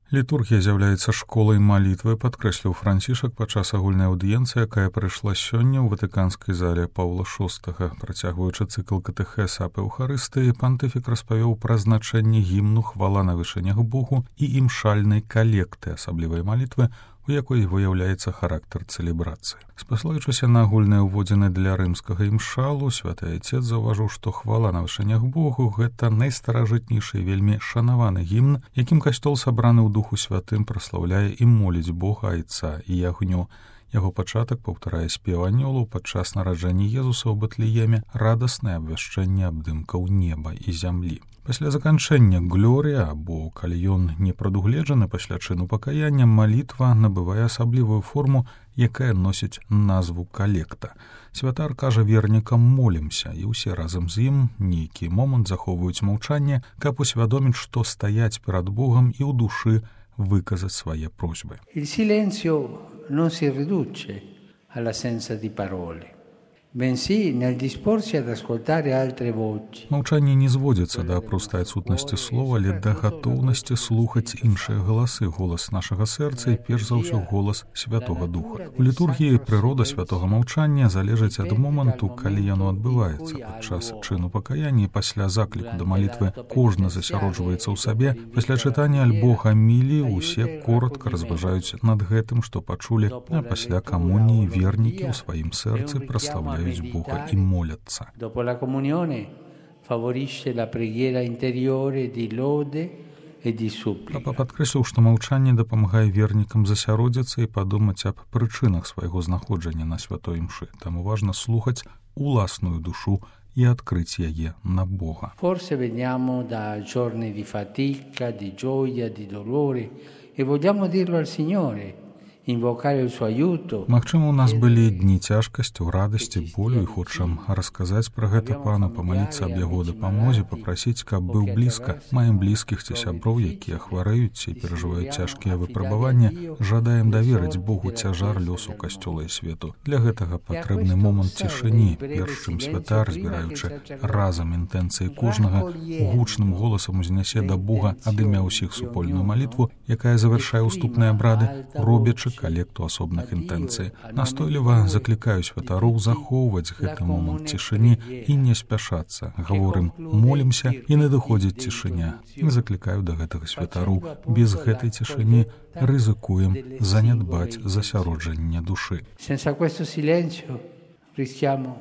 Літургія з'яўляецца школай малітвы, падкрэсліў Францішак падчас агульнай аўдыенцыі, якая прайшла сёння ў ватыканскай зале Паўла VI. Працягваючы цыкл катэхеса аб Еўхарыстыі, пантыфік распавёў пра значэнне гімну «Хвала на вышынях Богу» і імшальнай калекты, асаблівай малітвы, у якой выяўляецца характар цэлебрацыі. Спаслаючыся на агульныя ўводзіны для рымскага імшалу, святы айцец заўважыў, што «Хвала на вышынях Богу» — гэта найстаражытнейшы і вельмі шанаваны гімн, якім касцёл, сабраны ў Духу Святым, праслаўляе і моліць Бога Айца і Ягню. Яго пачатак паўтарае спеў анёлаў падчас нараджэння Езуса ў Бэтлееме, радаснае абвяшчэнне абдымкаў неба і зямлі. Пасля заканчэння глорыя, або калі ён не прадугледжаны пасля чыну пакаяння, малітва набывае асаблівую форму, якая носіць назву калекта. Святар кажа вернікам «молімся», і ўсе разам з ім нейкі момант захоўваюць маўчанне, каб усвядоміць, што стаяць перад Богам і ў душы выказаць свае просьбы. Il silenzio non si riduce all'assenza di parole, bensì nel disporsi ad ascoltare altre voci. Маўчанне не зводзіцца да простай адсутнасці слова, але да гатоўнасці слухаць іншыя галасы, голас нашага сэрца і перш за ўсё голас Святога Духа. У літургіі прырода святога маўчання залежыць ад моманту, калі яно адбываецца. Падчас чыну пакаяння і пасля закліку да малітвы кожны засяроджваецца ў сабе. Пасля чытання альбо гаміліі усе коротка разважаюць над гэтым, што пачулі, а пасля камуніі вернікі ў сваім сэрцы праслаўляюць Бога і моляцца. Dopo la comunione favorisce la preghiera interiore di lode e di supplica. Папа падкрэсліў, што маўчанне дапамагае вернікам засяродзіцца і падумаць аб прычынах свайго знаходжання на святой імшы. Таму важна слухаць уласную душу і адкрыць яе на Бога. Forse veniamo da giorni di fatica, di gioia, di dolore e vogliamo dirlo al Signore. Магчыма, у нас былі дні цяжкасці, радасці, болю, і хочам расказаць пра гэта пану, памаліцца аб яго дапамозе, папрасіць, каб быў блізка. Маем блізкіх ці сяброў, якія хварэюць і перажываюць цяжкія выпрабаванні. Жадаем даверыць Богу цяжар лёсу касцёла і свету. Для гэтага патрэбны момант цішыні, перш чым святар, збіраючы разам інтэнцыі кожнага, гучным голасам узнясе да Бога ад імя ўсіх супольную малітву, якая завяршае уступныя абрады, робячы калекту асобных інтэнцый. Настойліва заклікаю святароў захоўваць гэты момант цішыні і не спяшацца. Гаворым «молімся» і надыходзіць цішыня. Заклікаю да гэтага святароў. Без гэтай цішыні рызыкуем занядбаць засяроджанне душы. Senza questo silenzio rischiamo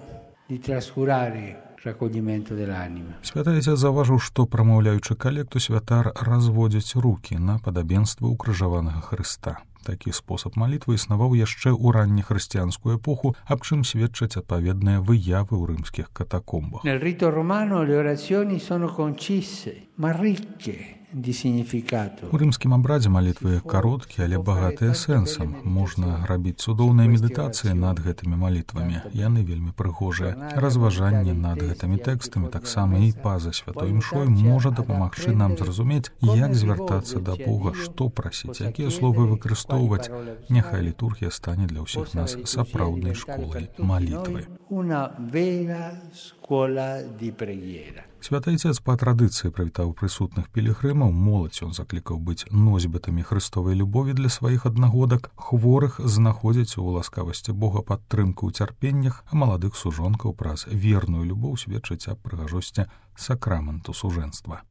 di trascurare Святы айцец заўважыў, што, прамаўляючы калекту, святар разводзіць рукі на падабенства ўкрыжаванага Хрыста. Такі спосаб малітвы існаваў яшчэ ў раннехрысціянскую эпоху, аб чым сведчаць адпаведныя выявы ў рымскіх катакомбах. Nel rito romano le orazioni sono concise, ma ricche di significato. У рымскім абрадзе малітвы кароткія, але багатыя сэнсам. Можна рабіць цудоўныя медытацыі над гэтымі малітвамі. Яны вельмі прыгожыя. Разважанне над гэтымі тэкстамі, таксама і па-за святой імшой, можа дапамагчы нам зразумець, як звяртацца да Бога, што прасіць, якія словы выкарыстоўваць. Няхай літургія стане для ўсіх нас сапраўднай школай малітвы. Una vera scuola di preghiera. Святы айцец па традыцыі прывітаў прысутных пілігрымаў, моладзь ён заклікаў быць носьбітамі хрыстовай любові для сваіх аднагодак, хворых знаходзіць у ласкавасці Бога падтрымку ў цярпеннях, а маладых сужонкаў праз верную любоў сведчыць аб прыгажосці сакраменту сужэнства.